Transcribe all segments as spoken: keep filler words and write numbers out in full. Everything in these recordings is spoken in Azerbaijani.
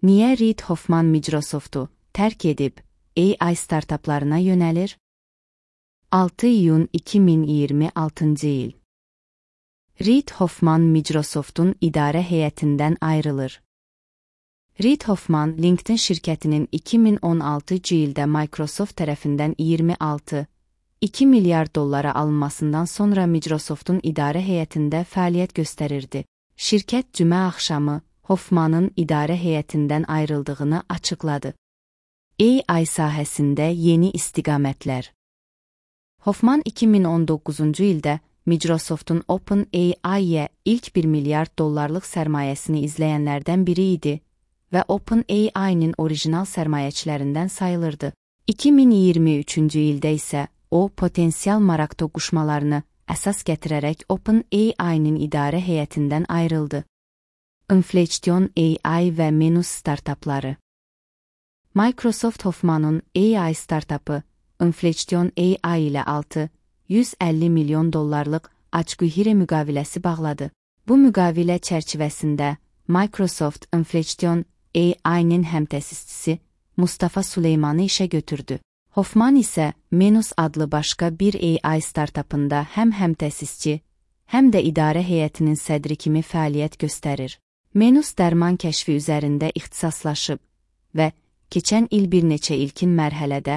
Niyə Reid Hoffman Microsoftu tərk edib A I startaplarına yönəlir? altı iyun iki min iyirmi altıncı il. Reid Hoffman Microsoftun idarə heyətindən ayrılır. Reid Hoffman, LinkedIn şirkətinin iki min on altıncı ildə Microsoft tərəfindən iyirmi altı nöqtə iki milyar dollara alınmasından sonra Microsoftun idarə heyətində fəaliyyət göstərirdi. Şirkət cümə axşamı Hoffmanın idarə heyətindən ayrıldığını açıqladı. A I sahəsində yeni istiqamətlər. Hoffman iki min on doqquzuncu ildə Microsoftun OpenAI-yə ilk bir milyard dollarlıq sərmayəsini izləyənlərdən biri idi və OpenAI-nin orijinal sərmayəçilərindən sayılırdı. iki min iyirmi üçüncü ildə isə o, potensial maraq toqquşmalarını əsas gətirərək OpenAI-nin idarə heyətindən ayrıldı. Inflection A I və Menus startapları. Microsoft Hoffmanın A I startapı Inflection A I ilə altı yüz əlli milyon dollarlıq açqühirə müqaviləsi bağladı. Bu müqavilə çərçivəsində Microsoft Inflection A I-nin həmtəsisçisi Mustafa Süleymanı işə götürdü. Hoffman isə Menus adlı başqa bir A I startapında həm həmtəsisçi, həm də idarə heyətinin sədri kimi fəaliyyət göstərir. Menus dərman kəşfi üzərində ixtisaslaşıb və keçən il bir neçə ilkin mərhələdə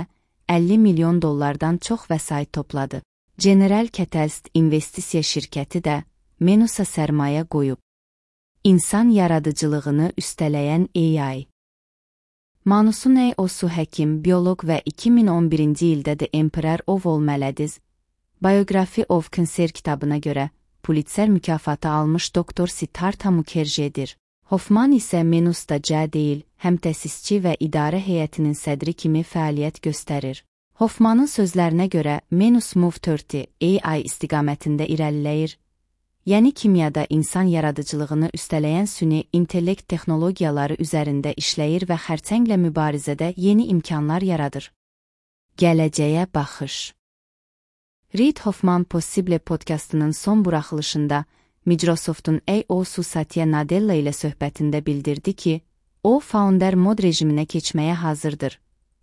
əlli milyon dollardan çox vəsait topladı. General Catalyst investisiya şirkəti də Menusa sərmayə qoyub. İnsan yaradıcılığını üstələyən A I. Manusuney Osu həkim, bioloq və iki min on birinci ildə The Emperor of All Maladies, Biography of Cancer kitabına görə Pulitzer mükafatı almış doktor Siddhartha Mukherjee'dir. Hoffman isə Menusda cə deyil, həmtəsisçi və idarə heyətinin sədri kimi fəaliyyət göstərir. Hoffmanın sözlərinə görə Menus Move iyirmi A I istiqamətində irəliləyir, yəni kimyada insan yaradıcılığını üstələyən süni intellekt texnologiyaları üzərində işləyir və xərçənglə mübarizədə yeni imkanlar yaradır. Gələcəyə baxış. Reid Hoffman Possible podkastının son buraxılışında Microsoftun C E O Satya Nadella ilə söhbətində bildirdi ki, o founder mod rejiminə keçməyə hazırdır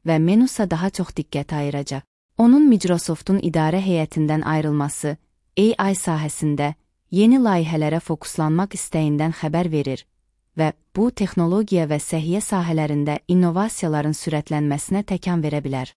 və Menusa daha çox diqqət ayıracaq. Onun Microsoftun idarə heyətindən ayrılması A I sahəsində yeni layihələrə fokuslanmaq istəyindən xəbər verir və bu texnologiya və səhiyyə sahələrində innovasiyaların sürətlənməsinə təkan verə bilər.